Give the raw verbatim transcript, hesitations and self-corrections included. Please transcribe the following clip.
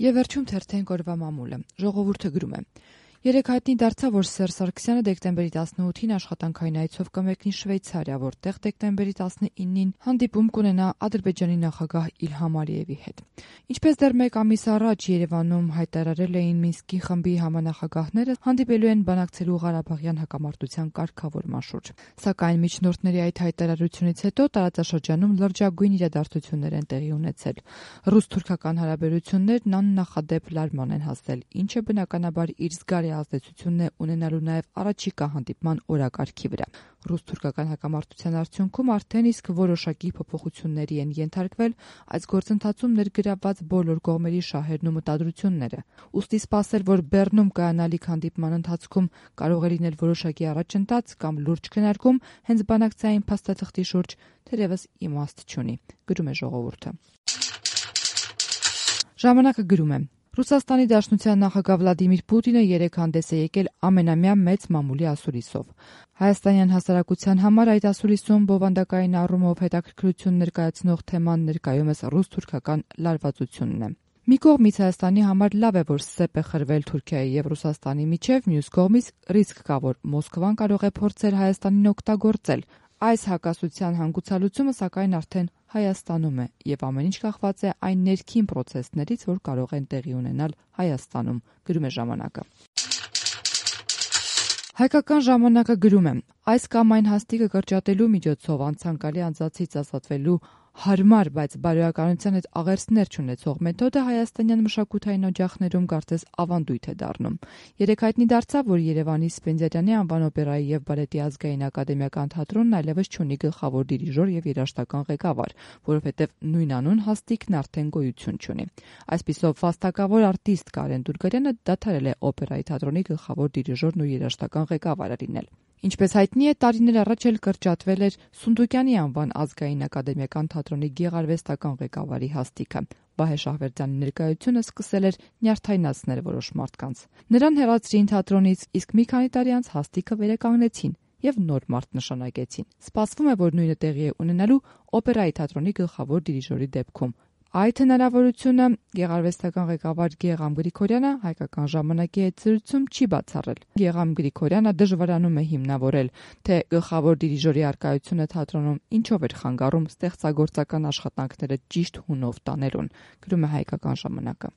Եվ վերջում թերթենք օրվա մամուլը։ Ժողովուրդը գրում է. Երեկ հայտնի դարձավ, որ Սերժ Սարգսյանը դեկտեմբերի տասնութին աշխատանքային այցով կմեկնի Շվեյցարիա, որտեղ դեկտեմբերի տասնինին հանդիպում կունենա Ադրբեջանի նախագահ Իլհամ Ալիևի հետ։ Ինչպես դեռ մեկ ամիս առաջ Երևանում հայտարարել էին Մինսկի խմբի համանախագահները, հանդիպելու են բանակցելու Ղարաբաղյան հակամարտության կարգավորման շուրջ։ Սակայն միջնորդների այդ հայտարարությունից հետո տարածաշրջանում լրջագույն իրադարձություններ են տեղի ունեցել։ Ռուս-թուրքական հարաբերություններն աննախադեպ լարման են հասել, ինչը բնականաբար իր զգալի ազդեցությունն է ունենալու նաև առաջիկա հանդիպման օրակարգի վրա։ Ռուս-թուրքական հակամարտության արդյունքում արդեն իսկ որոշակի փոփոխությունների են ենթարկվել այս գործընթացում ներգրավված բոլոր կողմերի շահերն ու մտադրությունները։ Ուստի սպասել, որ Բեռնում կայանալիք հանդիպման ընթացքում կարող է լինել որոշակի առաջընթաց կամ լուրջ քննարկում հենց բանակցային փաստաթղթի շուրջ, թերևս իմաստ չունի, գրում է Ժողովուրդը։ Ժամանակը գրում է. Ռուսաստանի Դաշնության նախագահ Վլադիմիր Պուտինը երեկ հանդես է եկել ամենամյա մեծ մամուլի ասուլիսով։ Հայաստանյան հասարակության համար այդ ասուլիսում բովանդակային առումով հետաքրքրություն ներկայացնող թեման ներկայումս ռուս-թուրքական լարվածությունն է։ Մի կողմից Հայաստանի համար լավ է, որ սեպ է խրվել Թուրքիայի եւ Ռուսաստանի միջև, մյուս կողմից ռիսկ կա, որ Մոսկվան կարող է փորձել Հայաստանին օգտագործել։ Այս հակասության հանգուցալուծումը սակայն արդեն Հայաստանում է եւ ամեն ինչ կախված է այն ներքին պրոցեսներից, որ կարող են տեղի ունենալ Հայաստանում, գրում է Ժամանակը։ Հայկական ժամանակը գրում է. այս կամ այն հաստիկը կրճատելու միջոցով անցանկալի անձացից ազատվելու հարմար, բայց բարոյականության հետ աղերսներ չունեցող մեթոդը հայաստանյան մշակութային օջախներում կարծես ավանդույթ է դառնում։ Երեկ հայտնի դարձավ, որ Երևանի Սպենդիարյանի անվան օպերայի եւ բալետի ազգային ակադեմիական թատրոնն այլևս չունի գլխավոր դիրիժոր եւ երաժշտական ղեկավար, որովհետեւ նույնանուն հաստիկն արդեն գոյություն չունի։ Այսպիսով վաստակավոր արտիստ Կարեն Դուրգարյանը դադարել է օպերայի թատրոնի գլխավոր դիրիժորն ու երաժշտական ղեկավարը լինել։ Ինչպես հայտնի է, տարիներ առաջ էլ կրճատվել էր Սունդուկյանի անվան ազգային ակադեմիական թատրոնի գեղարվեստական ղեկավարի հաստիքը։ Վահե Շահվերդյանի ներկայությունը սկսել էր նյարդայնացնել որոշ մարդկանց։ Նրան հեռացրին թատրոնից, իսկ մի քանի տարի անց հաստիքը վերականգնեցին եւ նոր մարդ նշանակեցին։ Սպասվում է, որ նույնը տեղի է ունենալու օպերայի թատրոնի գլխավոր դիրիժորի դեպքում։ Այդ հնարավորությունը գեղարվեստական ղեկավար Գեգամ Գրիգորյանը Հայկական ժամանակի հետ զրույցում չի բացառել։ Գեգամ Գրիգորյանը դժվարանում է հիմնավորել, թե գլխավոր դիրիժորի առկայությունը թատրոնում ինչով էր խանգարում ստեղծագործական աշխատանքները ճիշտ հունով տանելուն, գրում է Հայկական ժամանակը։